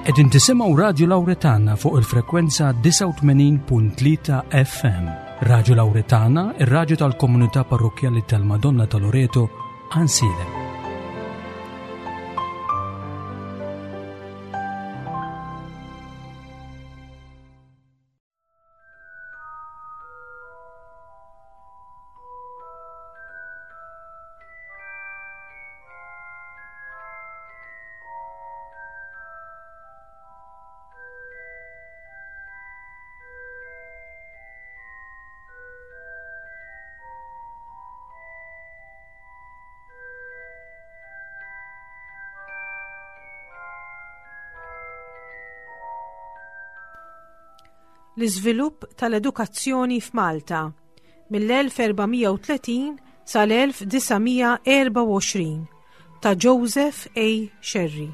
Qegħdin tisimgħu Radju Lawretana fuq il-frekwenza 89.3 FM. Radju Lawretana, ir-radju tal-komunità parrokkjali tal-Madonna ta' Loreto, Ansilem. L-iżvilupp tal-edukazzjoni f'Malta mill-1430 sal-1924 ta' Joseph A. Scerri.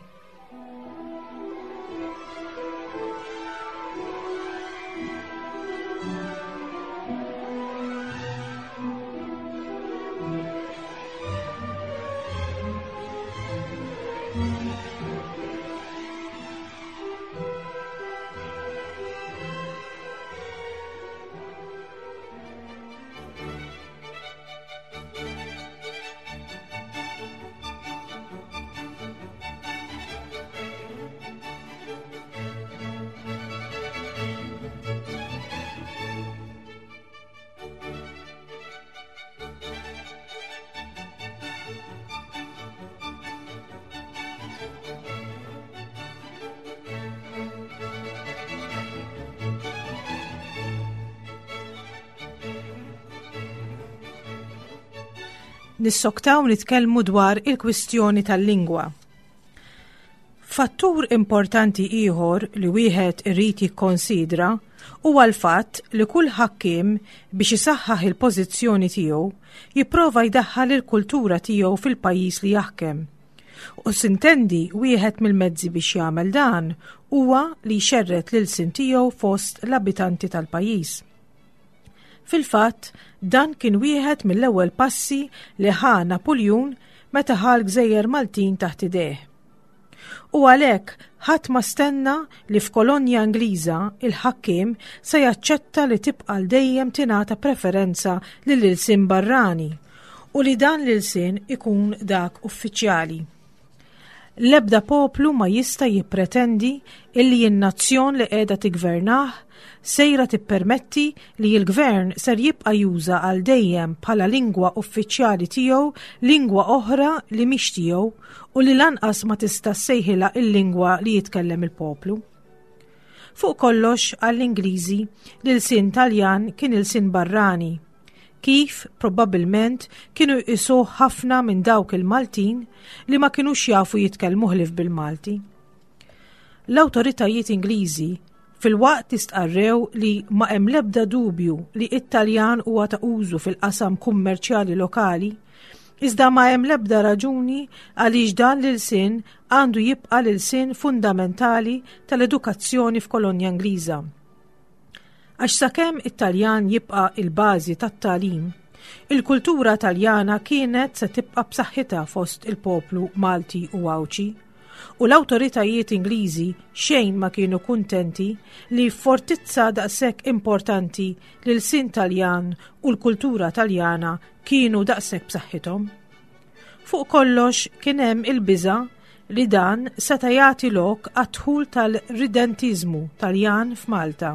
Nissoktaw nitkellmu dwar il-kwistjoni tal-lingwa. Fattur importanti ieħor li wieħed irid jikkonsidra huwa l-fatt li kull ħakkiem biex isaħħaħ il-pożizzjoni tiegħu jipprova jdaħħal il-kultura tiegħu fil-pajjiż li jaħkem. U sintendi wieħed mill-mezzi biex jagħmel dan huwa li jxerred l-ilsien tiegħu fost l-abitanti tal-pajjiż. Fil-fatt, dan kien wieħed mill-ewwel passi li ħa Napuljun meta ħa l-gżejjer Maltin taħt idejh. U għalhekk ħadd ma stenna li f'kolonja Ingliża il-ħakkiem se jaċċetta li tibqa' għal dejjem tingħata preferenza lill-ilsien barrani u li dan l-ilsien ikun dak uffiċjali. L-ebda poplu ma jista' jippretendi illi n-nazzjon li qiegħda tiggvernah sejra tippermetti li l-gvern ser jibqa' juża għal dejjem bħala lingwa uffiċjali tiegħu lingwa oħra li mhix tiegħu u li lanqas ma tista' ssejħilha l-lingwa li jitkellem il-poplu. Fuq kollox għall-Ingliżi l-ilsien Taljan kien ilsien barrani kif probabbilment kienu jqisuh ħafna minn dawk il-Maltin li ma kinux jafu jitkellmu ħlief bil-Malti. L-awtoritajiet Ingliżi filwaqt li stqarrew li ma hemm l-ebda dubju li it-Taljan huwa ta' użu fil-qasam kummerċjali lokali, iżda ma hemm l-ebda raġuni għaliex dan l-ilsien għandu jibqa' l-ilsien fundamentali tal-edukazzjoni f'kolonja Ingliża. Għax sakemm it-Taljan jibqa' il-bażi tat-tagħlim, il-kultura Taljana kienet se tibqa' b'saħħitha fost il-poplu Malti u Għawdxi, u l-awtoritajiet Ingliżi xejn ma kienu kuntenti li f'fortizza daqshekk importanti l-ilsien Taljan u l-kultura Taljana kienu daqshekk b'saħħithom. Fuq kollox kien hemm il-biża' li dan seta' jagħti lok għad-dħul tal-ridentiżmu Taljan f'Malta.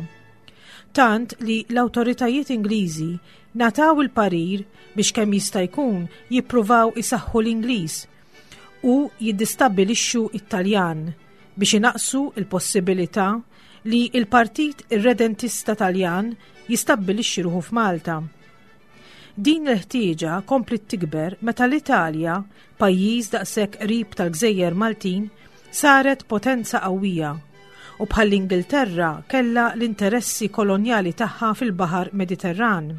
Tant li l-awtoritajiet Ingliżi ngħataw il-parir biex kemm jista' jkun jippruvaw isaħħu l-Ingliż u jiddistabbilixxu t-Taljan biex inaqqsu l-possibilità li l-Partit Irredentista Taljan jistabbilixxi ruħu f'Malta. Din il-ħtieġa kompliet tikber meta l-Italja, pajjiż daqshekk qrib tal-gżejjer Maltin, saret potenza qawwija u bħall-Ingilterra kellha l-interessi kolonjali tagħha fil-Baħar Mediterran.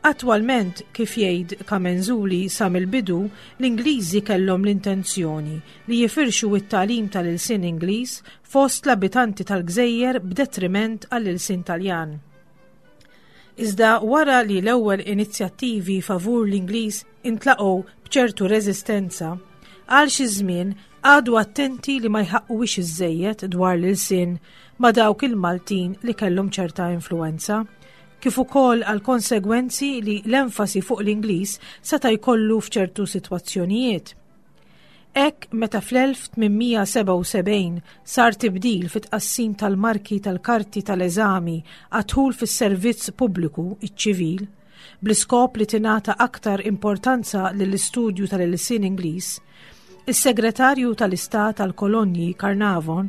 Attwalment, kif jgħid Camenzuli sa mill-bidu, l-Ingliżi kellhom l-intenzjoni li jifirxu t-tagħlim tal-ilsien Ingliż fost l-abitanti tal-gżejjer b'detriment għall-ilsien Taljan. Iżda wara li l-ewwel inizjattivi favur l-Ingliż intlaqgħu b'ċertu reżistenza, Għal xi żmien qagħdu attenti li ma jħaqquwix iżżejjed dwar l-ilsien ma' dawk il-Maltin li kellhom ċerta influwenza, kif ukoll għal konsegwenzi li l-enfasi fuq l-Ingliż seta' jkollu f'ċertu sitwazzjonijiet. Hekk meta fl-1877 sar tibdil fit-tqassim tal-marki tal-karti tal-eżami għad-dħul fis-servizz pubbliku, iċ-ċivil, bl-iskop li tingħata aktar importanza lill-istudju tal-ilsien Ingliż, is-Segretarju tal-Istat għall-Kolonji Carnarvon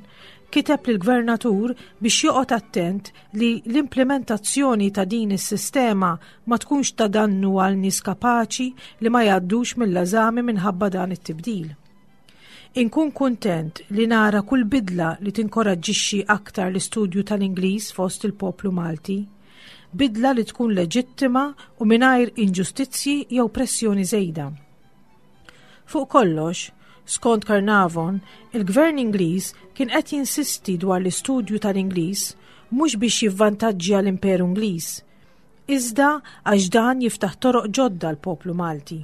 kiteb lill-Gvernatur biex joqgħod attent li l-implimentazzjoni ta' din is-sistema ma tkunx ta' dannu għal nies kapaċi li ma jgħaddux mill-eżami minħabba dan it-tibdil. Inkun kuntent li nara kull bidla li tinkoraġġixxi aktar l-istudju tal-Ingliż fost il-poplu Malti. Bidla li tkun leġittima u mingħajr inġustizzji jew pressjoni żejda. Fuq kollox, skont Carnarvon, il-Gvern Ingliż kien qed jinsisti dwar l-istudju tal-Ingliż mhux biex jivvantaġġja l-Imperu Ingliż, iżda għax dan jiftaħ toroq ġodda l-poplu Malti.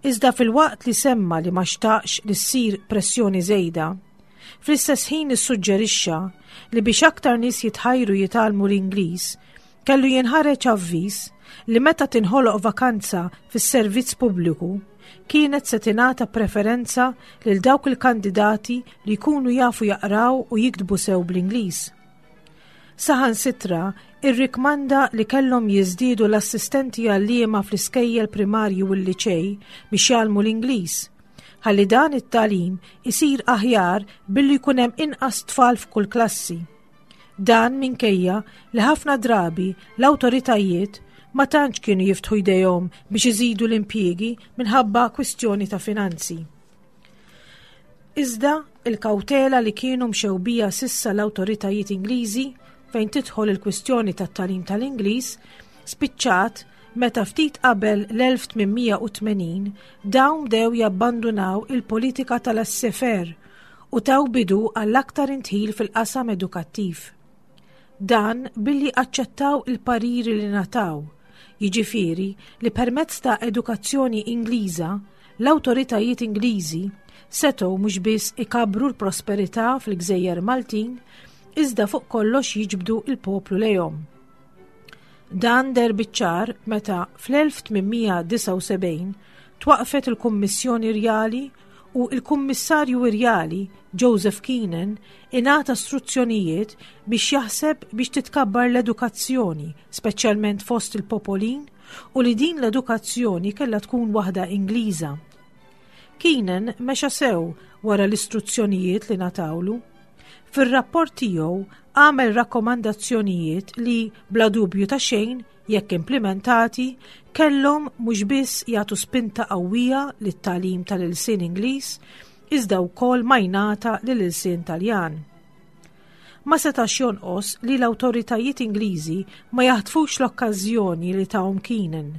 Iżda filwaqt li semma li ma xtaqx li ssir pressjoni żejda, fl-istess ħin issuġġerixxa li biex aktar nies jitħajru jitgħallmu l-Ingliż, kellu jinħareġ avviż li meta tinħoloq vakanza fis-servizz pubbliku, kienet se tingħata preferenza lil dawk il-kandidati li jkunu jafu jaqraw u jiktbu sew bl-Ingliż. Saħansitra irrikmanda li kellhom jiżdiedu l-assistenti għalliema fl-iskejjel primarji u l-liċej biex jgħallmu l-Ingliż, ħalli dan it-tagħlim isir aħjar billi jkun hemm inqas tfal f'kull klassi. Dan minkejja li ħafna drabi l-awtoritajiet ma tantx kienu jiftħu jdejhom biex iżidu l-impjiegi minħabba kwistjoni ta' finanzi. Iżda, il-kawtela li kienu mxew biha s'issa l-awtoritajiet Ingliżi fejn tidħol il-kwistjoni tat-tagħlim tal-Ingliż spiċċat meta ftit qabel l-1880 dawn bdew jabbandunaw il-politika ta' laissez-faire u taw bidu għall-aktar indħil fil-qasam edukattiv. Dan billi aċċettaw il-pariri li ngħataw, jiġifieri li permezz ta' edukazzjoni Ingliża, l-awtoritajiet Ingliżi setgħu mhux biss ikabbru l-prosperità fil-gżejjer Maltin, iżda fuq kollox jiġbdu l-poplu lejhom. Dan deher biċ-ċar meta fl-1879 twaqqfet il-Kummissjoni Rjali u l-Kummissarju Irjali Joseph Keenan ingħata struzzjonijiet biex jaħseb biex titkabbar l-edukazzjoni, speċjalment fost il-popolin, u li din l-edukazzjoni kellha tkun waħda Ingliża. Keenan mexa sew wara l-istruzzjonijiet li ngħatawlu. Fir-rapport tiegħu għamel rakkomandazzjonijiet li, bla dubju ta' xejn, jekk implimentati, kellhom mhux biss jagħtu spinta qawwija lit-tagħlim tal-ilsien Ingliż, iżda wkoll majnata lill-ilsien Taljan. Ma setax jonqos li l-awtoritajiet Ingliżi ma jaħtfux l-okkażjoni li tahom Keenan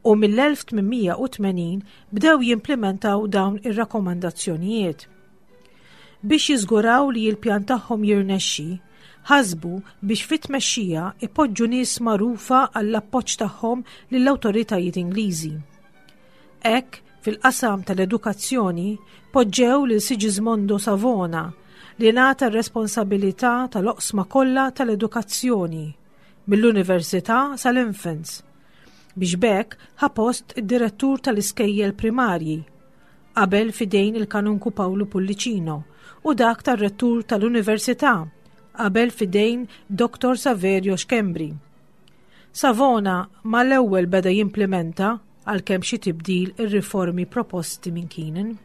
u mill-1880 bdew jimplimentaw dawn ir-rakkomandazzjonijiet. Biex jiżguraw li l-pjan tagħhom jirnexxi, ħasbu biex fit-tmexxija ipoġġu nies magħrufa għall-appoġġ tagħhom lill-awtoritajiet Ingliżi. Hekk, fil-qasam tal-edukazzjoni, poġġew lil Sigismondo Savona li ngħata r-responsabilità tal-oqsma kollha tal-edukazzjoni, mill-università sal-infants, biex b'hekk ħa post id-direttur tal-iskejjel primarji, qabel f'idejn il-Kanunku Pawlu Pullicino, u dak tar-Rettur tal-Università, qabel f'idejn Dottor Saverio Schembri. Savona mal-ewwel beda jimplimenta, għalkemm xi tibdil, ir-riformi proposti minn Keenan.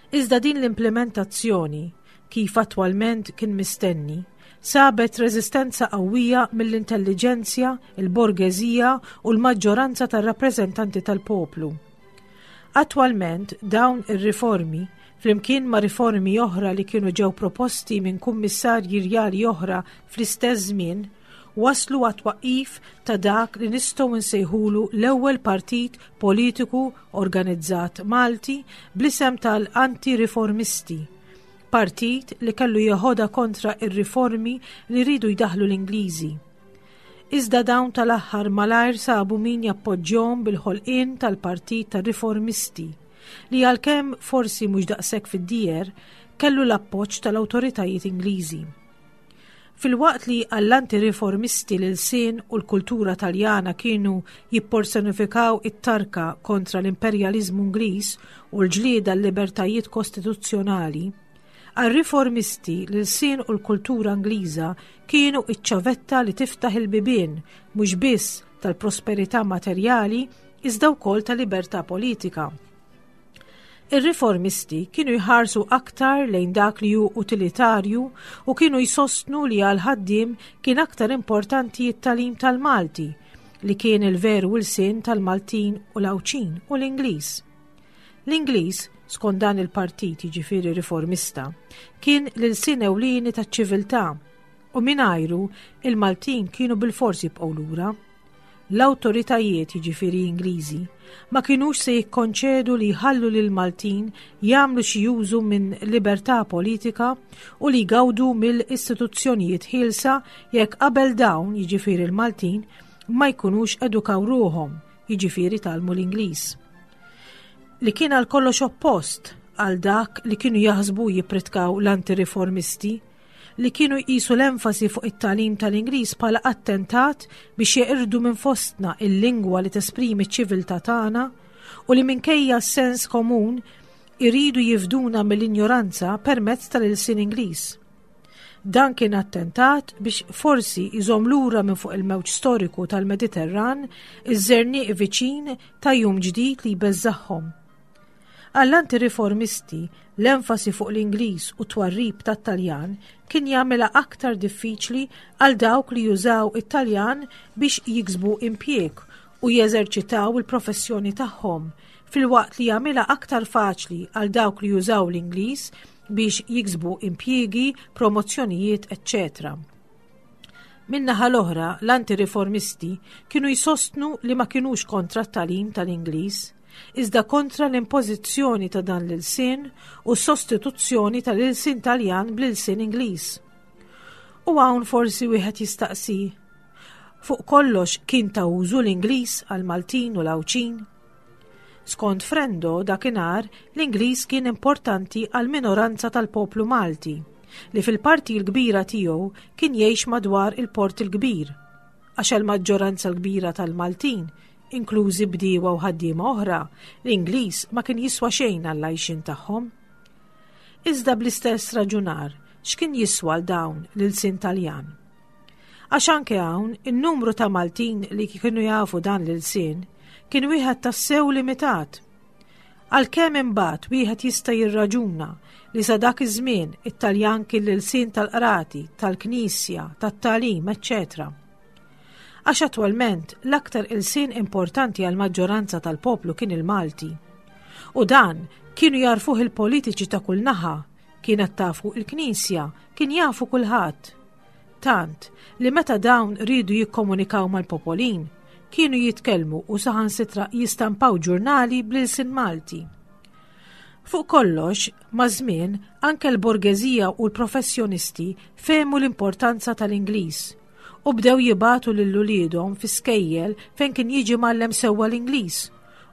Iżda din l-implimentazzjoni, kif attwalment kien mistenni, sabet reżistenza qawwija mill-intelliġenzja, il-borgeżija u l-maġġoranza tar-rappreżentanti tal-poplu. Attwalment dawn ir-riformi, flimkien ma' riformi oħra li kienu ġew proposti minn kummissarji rjali oħra fl-istess żmien, wasslu għat-twaqqif ta' dak li nistgħu nsejħulu l-ewwel partit politiku organizzat Malti bl-isem tal-Anti-Riformisti, partit li kellu jeħodha kontra r-riformi li riedu jdaħħlu l-Ingliżi. Iżda dawn tal-aħħar malajr sabu min jappoġġjhom bil-ħolqien tal-Partit tar-Riformisti. li għalkemm forsi mhux daqshekk fid-dieher, kellu l-appoġġ tal-awtoritajiet Ingliżi. Filwaqt li għall-anti-riformisti l-ilsien u l-kultura Taljana kienu jipporsonifikaw it-tarka kontra l-imperjaliżmu Ingliż u l-ġlieda għal-libertajiet kostituzzjonali, għar-riformisti l-ilsien u l-kultura Ingliża kienu iċ-ċavetta li tiftaħ il-bibien mhux biss tal-prosperità materjali iżda wkoll ta' libertà politika. Ir-riformisti kienu jħarsu aktar lejn dak li hu utilitarju u kienu jsostnu li għal ħaddiem kien aktar importanti t-tagħlim tal-Malti, li kien il-veru ilsien tal-Maltin u l-Għawdxin u l-Ingliż. L-Ingliż, skont dan il-partit jiġifieri riformista, kien l-ilsien ewlieni taċ-ċiviltà u mingħajru il-Maltin kienu bilfors jibqgħu lura. L-awtoritajiet, jiġifieri Ingliżi, ma kinux se jikkonċedu li jħallu lill-Maltin jagħmlu xi użu minn libertà politika u li jgawdu mill-istituzzjonijiet ħielsa jekk qabel dawn, jiġifieri l-Maltin, ma jkunux edukaw ruħhom, jiġifieri tgħallmu l-Ingliż. Li kien għal kollox oppost għal dak li kienu jaħsbu jippritkaw l-antiriformisti li kienu jqisu l-enfasi fuq it-tagħlim tal-Ingliż bħala attentat biex jeqirdu minn fostna il-lingwa li tesprimi ċ-ċiviltà tagħna u li minkejja s-sens komun iridu jifduna mill-injoranza permezz tal-ilsien Ingliż. Dan kien attentat biex forsi jżomm lura minn fuq il-mewġ storiku tal-Mediterran iż-żerniq viċin ta' jum ġdid li jbeżżagħhom. Għall-antiriformisti, l-enfasi fuq l-Ingliż u t-twarrib tat-Taljan kien jagħmilha aktar diffiċli għal dawk li jużaw it-Taljan biex jiksbu impjieg u jeżerċitaw il-professjoni tagħhom, filwaqt li jagħmilha aktar faċli għal dawk li jużaw l-Ingliż biex jiksbu impjiegi, promozzjonijiet, eċċetera. Min-naħa l-oħra, l-antiriformisti kienu jsostnu li ma kinux kontra t-tagħlim tal-Ingliż, iżda kontra l-impożizzjoni ta' dan l-ilsien u s-sostituzzjoni tal-ilsien Taljan bl-ilsien Ingliż. U hawn forsi wieħed jistaqsi, fuq kollox kien ta' użu l-Ingliż għall-Maltin u l-Għawdxin? Skont Frendo, dakinhar l-Ingliż kien importanti għal minoranza tal-poplu Malti, li fil-parti l-kbira tiegħu kien jgħix madwar il-Port il-Kbir, għax għall-maġġoranza l-kbira tal-Maltin, inklużi bdiewa u ħaddiema oħra, l-Ingliż ma kien jiswa xejn għall-għajxien tagħhom. Iżda bl-istess raġunar, x'kien jiswa 'l dawn l-ilsien Taljan? Għax anke hawn, in-numru ta' Maltin li kienu jafu dan l-ilsien kien wieħed tassew limitat. Għalkemm imbagħad wieħed jista' jirraġuna li sa dak iż-żmien it-Taljan kien l-ilsien tal-qrati, tal-knisja, tat-tagħlim, eċċetera. Għax attwalment l-aktar ilsien importanti għall-maġġoranza tal-poplu kien il-Malti. U dan kienu jagħrfuh il-politiċi ta' kull naħa, kienet tafu il-Knisja, kien jafu kulħadd. Tant li meta dawn riedu jikkomunikaw mal-popolin, kienu jitkellmu u saħansitra jistampaw ġurnali bl-ilsien Malti. Fuq kollox, maż-żmien, anke l-borgeżija u l-professjonisti fehmu l-importanza tal-Ingliż u bdew jibagħtu lil uliedhom fi skejjel fejn kien jiġi mgħallem sewwa l-Ingliż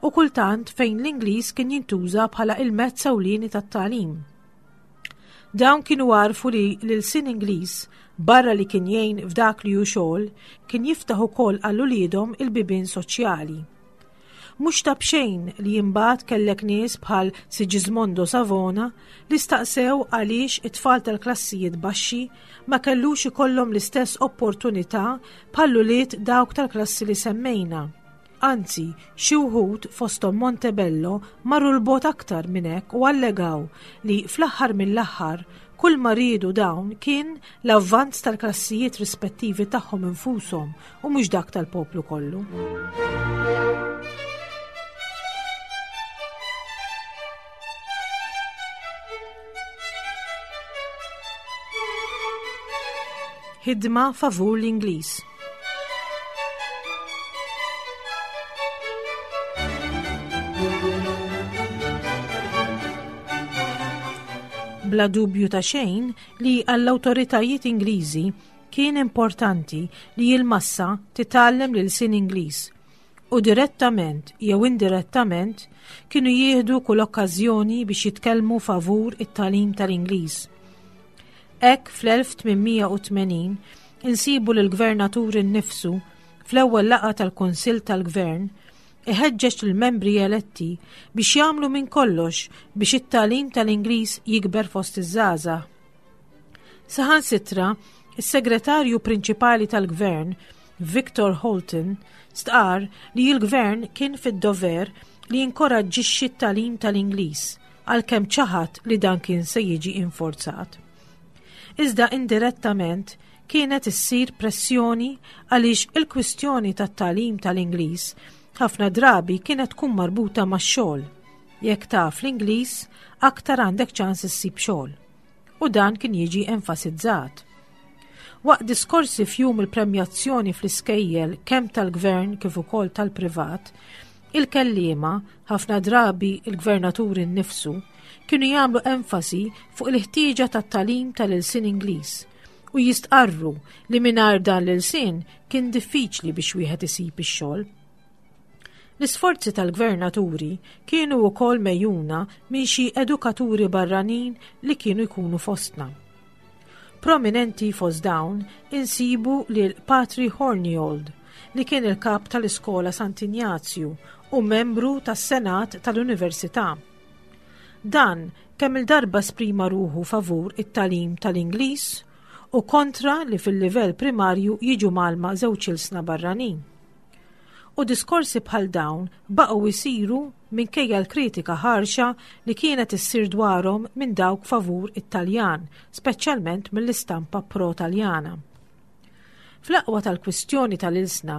u kultant fejn l-Ingliż kien jintuża bħala il-mezz ewlieni tat-tagħlim. Dawn kienu għarfu li l-ilsien Ingliż, barra li kien jgħin f'dak li hu xogħol, kien jiftaħ ukoll għal uliedhom il-bibien soċjali. Mhux ta' b'xejn li imbagħad kellek nies bħal Sigismondo Savona li staqsew għaliex it-tfal tal-klassijiet baxxi ma kellux ikollhom l-istess opportunità bħall-ulied dawk tal-klassi li semmejna. Anzi, xi wħud fosthom Montebello marru 'l bogħod aktar minn hekk u allegaw li fl-aħħar mill-aħħar kull ma riedu dawn kien l-avvanz tal-klassijiet rispettivi tagħhom infushom u mhux dak tal-poplu kollu. Ħidma favur l-Ingliż. Bla dubju ta' xejn li għall-awtoritajiet Ingliżi kien importanti li l-massa titgħallem l-ilsien Ingliż. U direttament jew indirettament kienu jieħdu kull okkażjoni biex jitkellmu favur it-tagħlim tal-Ingliż. Hekk fl-1880 insibu lill-gvernatur innifsu fl-ewwel laqgħa tal-Kunsill tal-Gvern iħeġġeġ lill-membri eletti biex jagħmlu minn kollox biex it-tagħlim tal-Ingliż jikber fost iż-żgħażagħ. Saħansitra, is-Segretarju Prinċipali tal-Gvern, Victor Holton, stqarr li l-Gvern kien fid-dover li jinkoraġġixxi t-tagħlim tal-Ingliż għalkemm ċaħad li dan kien se jiġi inforzat. Iżda indirettament kienet issir pressjoni għaliex il-kwistjoni tat-tagħlim tal-Ingliż ħafna drabi kienet tkun marbuta max-xogħol. Jekk taf l-Ingliż, aktar għandek ċans issib xogħol. U dan kien jiġi enfasizzat. Waqt diskorsi f'jum il-premjazzjoni fl-iskejjel kemm tal-gvern kif ukoll tal-privat, il-kelliema, ħafna drabi il-gvernatur innifsu, kienu jagħmlu enfasi fuq il-ħtieġa tat-tagħlim tal-ilsien Ingliż u jistqarru li mingħajr dan l-ilsien kien diffiċli biex wieħed isib ix-xogħol. L-isforzi tal-gvernaturi kienu wkoll megħjuna minn xi edukaturi barranin li kienu jkunu fostna. Prominenti fost dawn insibu lil Patri Horniold li kien il-kap tal-Iskola Sant'Injazju u membru tas-Senat tal-Università. Dan kemm il-darba esprima ruħu favur it-tagħlim tal-Ingliż u kontra li fil-livell primarju jiġu mgħallma żewġ ilsna barranin. U diskorsi bħal dawn baqgħu jsiru minkejja l-kritika ħarxa li kienet issir dwarhom minn dawk favur it-Taljan, speċjalment mill-istampa pro-Taljana. Fl-aqwa tal-kwistjoni tal-ilsna,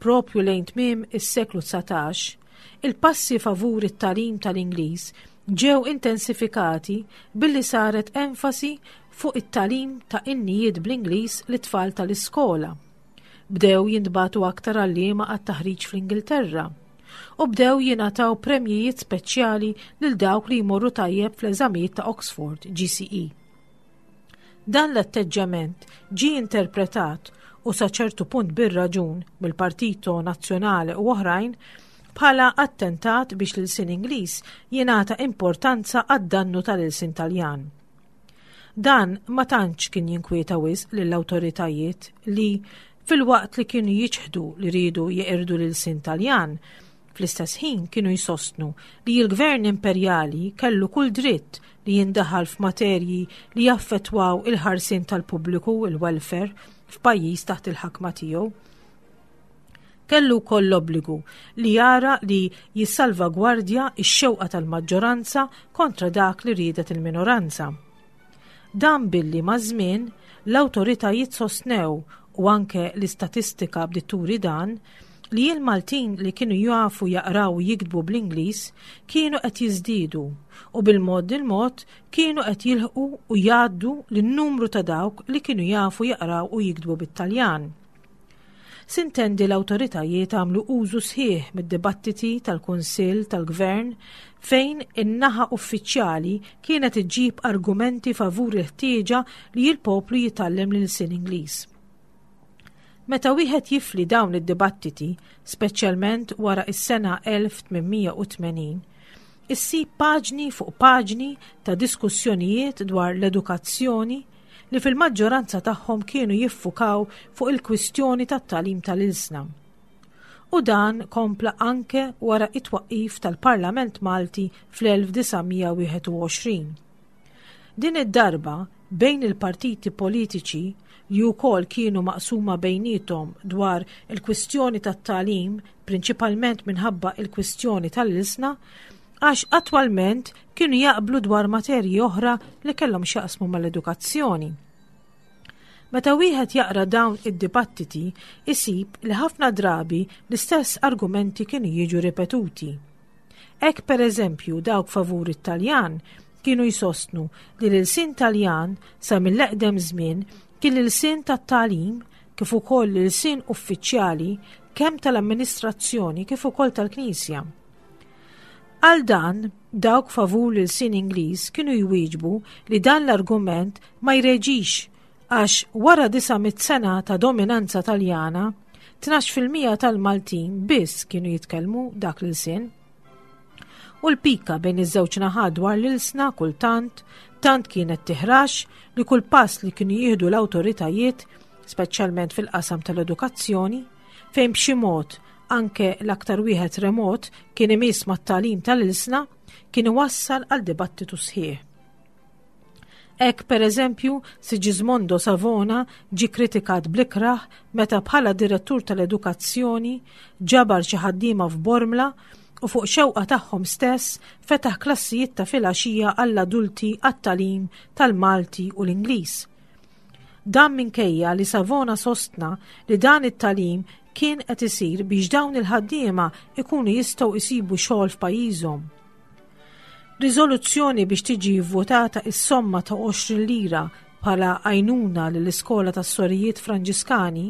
propju lejn tmiem is-seklu 19, il-passi favur it-tagħlim tal-Ingliż ġew intensifikati billi saret enfasi fuq it-tagħlim ta' innijiet bl-Ingliż lit-tfal tal-iskola. Bdew jintbagħtu aktar għalliema għat-taħriġ fl-Ingilterra u bdew jingħataw premjijiet speċjali lil dawk li jmorru tajjeb fl-eżamijiet ta' Oxford, GCE. Dan l-atteġġjament ġie interpretat u sa ċertu punt bir-raġun mill-Partito Nazzjonale u oħrajn bħala attentat biex l-ilsien Ingliż jingħata importanza għad-dannu tal-ilsien Taljan. Dan ma tantx kien jinkwieta wisq lill-awtoritajiet li, filwaqt li kienu jiċħdu li riedu jeqirdu l-ilsien Taljan, fl-istess ħin kienu jsostnu li l-gvern imperjali kellu kull dritt li jindaħal f'materji li jaffettwaw il-ħarsien tal-pubbliku, il-welfare, f'pajjiż taħt il-ħakma tiegħu. Kellu wkoll l-obbligu li jara li jissalvagwardja x-xewqa tal-maġġoranza kontra dak li riedet il-minoranza. Dan billi maż-żmien l-awtoritajiet sostnew u anke l-istatistika bdiet turi dan, li l-Maltin li kienu jafu jaqraw u jiktbu bl-Ingliż kienu qed jiżdiedu u bil-mod il-mod kienu qed jilħqu u jgħaddu lin-numru ta' dawk li kienu jafu jaqraw u jiktbu bit-Taljan. Sintendi l-awtoritajiet għamlu użu sħiħ mid-dibattiti tal-Kunsill tal-Gvern fejn in-naħa uffiċjali kienet iġġib argumenti favur il-ħtieġa li l-poplu jitgħallem l-ilsien Ingliż. Meta wieħed jifli dawn id-dibattiti, speċjalment wara is-sena 1880, issib paġni fuq paġni ta' diskussjonijiet dwar l-edukazzjoni, li fil-maġġoranza tagħhom kienu jiffukaw fuq il-kwistjoni tat-tagħlim tal-ilsna. U dan kompla anke wara it-twaqqif tal-Parlament Malti fl-1921. Din id-darba bejn il-partiti politiċi li wkoll kienu maqsuma bejniethom dwar il-kwistjoni tat-tagħlim prinċipalment minħabba il-kwistjoni tal-ilsna, għax attwalment kienu jaqblu dwar materji oħra li kellhom x'jaqsmu mal-edukazzjoni. Meta wieħed jaqra dawn id-dibattiti, isib li ħafna drabi l-istess argumenti kienu jiġu ripetuti. Hekk pereżempju dawk favur it-Taljan kienu jsostnu li l-ilsien Taljan sa mill-eqdem żmien kien l-ilsien tat-tagħlim kif ukoll l-ilsien uffiċjali kemm tal-amministrazzjoni kif ukoll tal-Knisja. Għal dan, dawk favur l-ilsien Ingliż kienu jwieġbu li dan l-argument ma jreġix għax wara 900 sena ta' dominanza Taljana, 12% tal-Maltin biss kienu jitkellmu dak l-ilsien. U l-pika bejn iż-żewġ naħat dwar l-ilsna kultant tant kienet tiħrax li kull pass li kienu jieħdu l-awtoritajiet, speċjalment fil-qasam tal-edukazzjoni, fejn b'xi mod anke l-aktar wieħed remot kien imiss mat-tagħlim tal-ilsna, kien iwassal għal dibattitu sħiħ. Hekk pereżempju, Sigismondo Savona ġie kritikat bl-ikrah meta bħala direttur tal-edukazzjoni ġabar xi ħaddiema f'Bormla u fuq xewqa tagħhom stess fetaħ klassijiet ta' filgħaxija għall-adulti għat-tagħlim tal-Malti u l-Ingliż. Dan minkejja li Savona sostna li dan it-tagħlim kien qed isir biex dawn il-ħaddiema ikunu jistgħu jsibu xogħol f'pajjiżhom. Riżoluzzjoni biex tiġi vvotata is-somma ta' 20 lira bħala għajnuna lill-iskola tas-sorijiet Franġiskani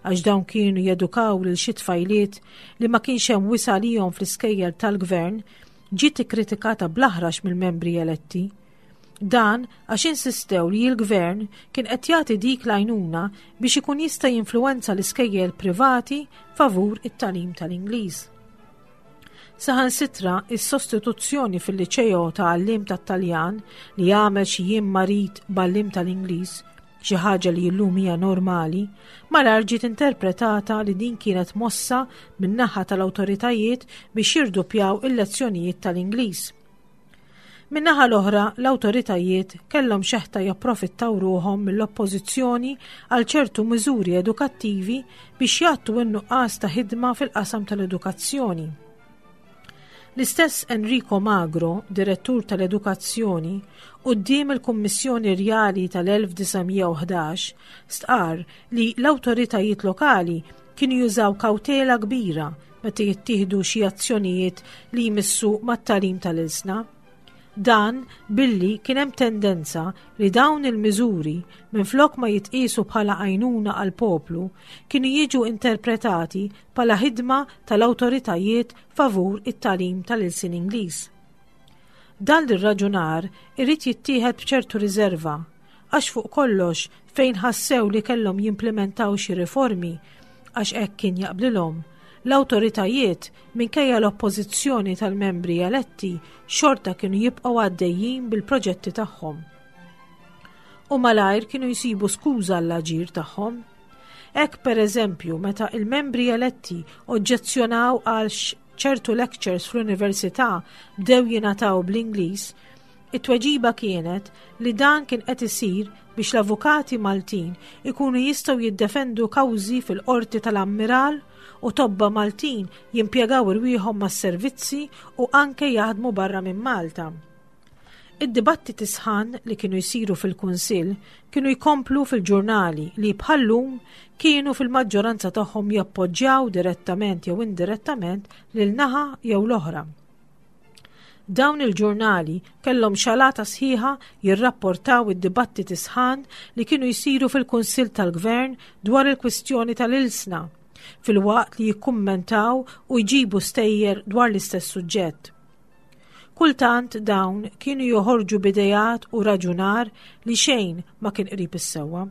għax dawn kienu jedukaw lil xi tfajliet li ma kienx hemm wisa' għalihom fl-iskejjel tal-gvern ġiet ikkritikata bl-aħrax mill-membri eletti. Dan għax insistew li l-gvern kien qed jagħti dik l-għajnuna biex ikun jista' jinfluwenza l-iskejjel privati favur it-tagħlim tal-Ingliż. Saħansitra is-sostituzzjoni fil-liċeo ta' għalliem tat-Taljan li għamel xi jiem marid b'għalliem tal-Ingliż, xi ħaġa li llum hija normali, malajr ġiet interpretata li din kienet mossa min-naħa tal-awtoritajiet biex jirduppjaw il-lezzjonijiet tal-Ingliż. Min-naħa l-oħra, l-awtoritajiet kellhom xeħta japprofittaw ruħhom mill-oppożizzjoni għal ċertu miżuri edukattivi biex jgħattu n-nuqqas ta' ħidma fil-qasam tal-edukazzjoni. L-istess Enrico Magro, direttur tal-edukazzjoni, quddiem il-Kummissjoni Rjali tal-1911, stqarr li l-awtoritajiet lokali kienu jużaw kawtela kbira meta jittieħdu xi azzjonijiet li jmissu mat-tagħlim tal-ilsna. Dan billi kien hemm tendenza li dawn il-miżuri minflok ma jitqiesu bħala għajnuna għall-poplu kienu jiġu interpretati bħala ħidma tal-awtoritajiet favur it-tagħlim tal-ilsien Ingliż. Dan l-irraġunar irid jittieħed b'ċertu riżerva għax fuq kollox fejn ħassew li kellhom jimplimentaw xi riformi għax hekk kien jaqblilhom, l-awtoritajiet minkejja l-oppożizzjoni tal-membri eletti xorta kienu jibqgħu għaddejjin bil-proġetti tagħhom. U malajr kienu jsibu skuża għall-aġir tagħhom. Hekk pereżempju meta il-membri eletti oġġezzjonaw għal ċertu lectures fl-università bdew jingħataw bl-Ingliż, It-tweġiba kienet li dan kien qed isir biex l-avukati Maltin ikunu jistgħu jiddefendu kawżi fil-qorti tal-Ammiral u tobba Maltin jimpjegaw irwieħhom mas-servizzi u anke jaħdmu barra minn Malta. Id-dibattiti sħan li kienu jsiru fil-Kunsill kienu jkomplu fil-ġurnali li bħal-lum kienu fil-maġġoranza tagħhom jappoġġjaw direttament jew indirettament lil naħa jew l-oħra. Dawn il-ġurnali kellhom xalata sħiħa jirrapportaw id-dibattiti sħan li kienu jsiru fil-Kunsill tal-Gvern dwar il-kwistjoni tal-ilsna, filwaqt li jikkummentaw u jġibu stejjer dwar l-istess suġġett. Kultant dawn kienu joħorġu b'ideat u raġunar li xejn ma kien qrib is-sewwa.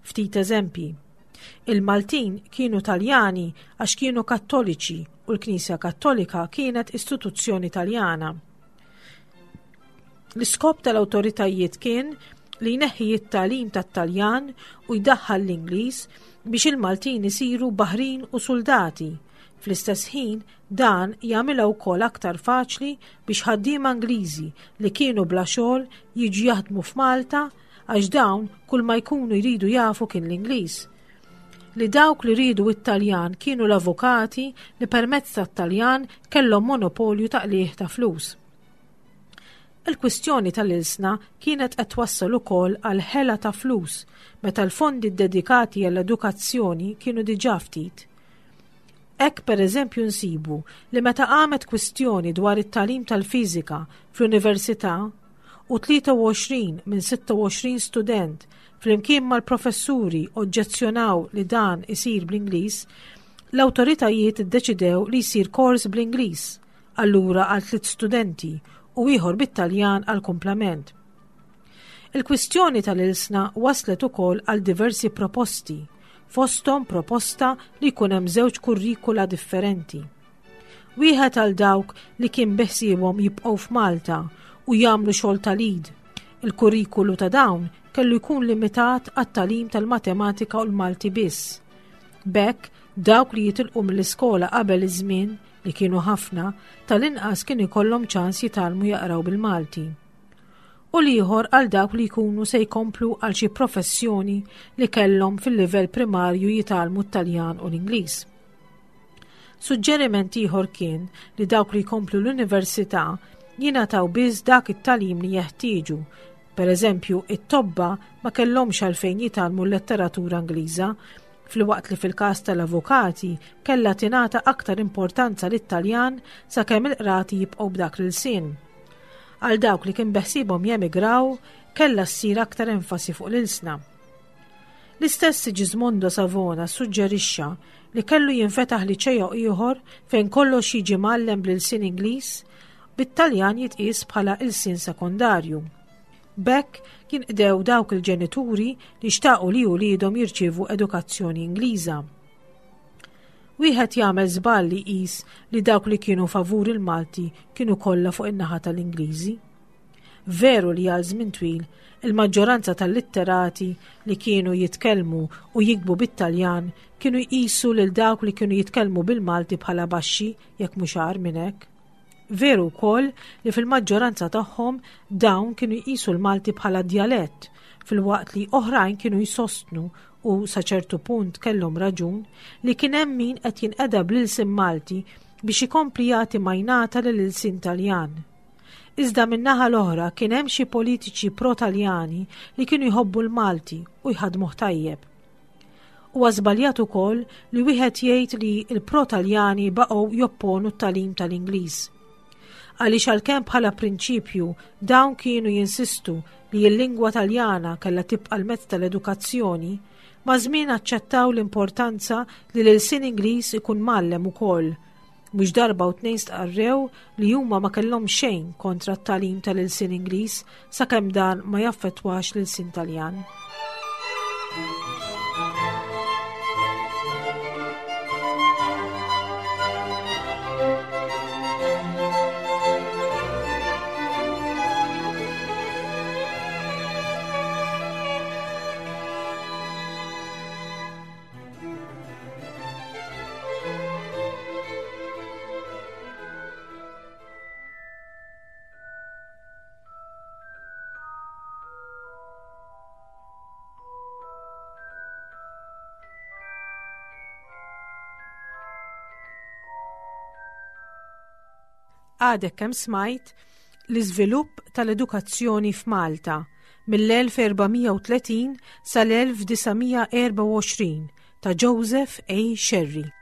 Ftit eżempji. Il-Maltin kienu Taljani għax kienu Kattoliċi u l-Knisja Kattolika kienet istituzzjoni Taljana. L-iskop tal-awtoritajiet kien li jneħħi it-tagħlim tat-Taljan u jdaħħal l-Ingliż biex il-Maltin isiru baħrin u suldati. Fl-istess ħin, dan jagħmilha wkoll aktar faċli biex ħaddiema Ingliżi li kienu bla xogħol jiġu jaħdmu f'Malta għax dawn kull ma jkunu jridu jafu kien l-Ingliż. Li dawk li riedu it-Taljan kienu l-avukati li permezz tat-Taljan kellhom monopolju ta' qligħ ta' flus. Il-kwistjoni tal-ilsna kienet qed twassal ukoll għal ħela ta' flus meta l-fondi ddedikati għall-edukazzjoni kienu diġà ftit. Hekk pereżempju nsibu li meta qamet kwistjoni dwar it-tagħlim tal-fiżika fl-università u 23 minn 26 student flimkien mal-professuri oġġezzjonaw li dan isir bl-Ingliż, l-awtoritajiet iddeċidew li jsir kors bl-Ingliż, allura għal tliet studenti u ieħor bit-Taljan għall-kumplament. Il-kwistjoni tal-ilsna waslet ukoll għal diversi proposti, fosthom proposta li jkun hemm żewġ kurrikula differenti. Wieħed għal dawk li kien beħsiebhom jibqgħu f'Malta u jagħmlu xogħol tal-id. Il-kurrikulu ta' dawn kellu jkun limitat għat-tagħlim tal-matematika u l-Malti biss. B'hekk, dawk li jitilqu mill-iskola qabel iż-żmien, li kienu ħafna, tal-inqas kien ikollhom ċans jitgħallmu jaqraw bil-Malti. U l-ieħor għal dawk li jkunu se jkomplu għal xi professjoni li kellhom fil-livell primarju jitgħallmu t-Taljan u l-Ingliż. Suġġeriment ieħor kien li dawk li jkomplu l-università jingħataw biss dak it-tagħlim li jeħtieġu. Per eżempju, it-tobba ma kellhomx għalfejn jitgħallmu l-letteratura Ingliża, filwaqt li fil-każ tal-avukati kellha tingħata aktar importanza lit-Taljan sakemm il-qrati jibqgħu b'dak l-ilsien. Għal dawk li kien beħsiebhom jemigraw, kellha ssir aktar enfasi fuq l-ilsna. L-istess Sigismondo Savona ssuġġerixxa li kellu jinfetaħ liċeo ieħor fejn kollox jiġi mgħallem bl-ilsien Ingliż, bit-Taljan jitqies bħala ilsien sekondarju. B'hekk jinqdew dawk il-ġenituri li xtaqu li uliedhom jirċievu edukazzjoni Ingliża. Wieħed jagħmel żball li jqis li dawk li kienu favur il-Malti kienu kollha fuq in-naħa tal-Ingliżi. Veru li għal żmien twil il-maġġoranza tal-litterati li kienu jitkellmu u jiktbu bit-Taljan kienu jqisu lil dawk li kienu jitkellmu bil-Malti bħala baxxi jekk mhux agħar minn hekk. Veru wkoll li fil-maġġoranza tagħhom dawn kienu jqisu l-Malti bħala djalett, filwaqt li oħrajn kienu jsostnu u sa ċertu punt kellhom raġun li kien hemm min qed jinqeda bl-ilsien Malti biex ikompli jagħti majnata lill-ilsien Taljan. Iżda min-naħa l-oħra kien hemm xi politiċi pro-Taljani li kienu jħobbu l-Malti u jħaddmuh tajjeb. Huwa żbaljat ukoll li wieħed jgħid li l-pro-Taljani baqgħu jopponu t-tagħlim tal-Ingliż. Għaliex għalkemm bħala prinċipju dawn kienu jinsistu li l-lingwa Taljana kellha tibqa' l-mezz tal-edukazzjoni, maż-żmien aċċettaw l-importanza li l-ilsien Ingliż ikun mgħallem ukoll Mhux darba u tnejn stqarrew li huma ma kellhom xejn kontra t-tagħlim tal-ilsien Ingliż sakemm dan ma jaffettwax l-ilsien Taljan. Għadek kemm smajt l-iżvilupp tal-edukazzjoni f'Malta mill-1430 sal-1924 ta' Joseph A. Scerri.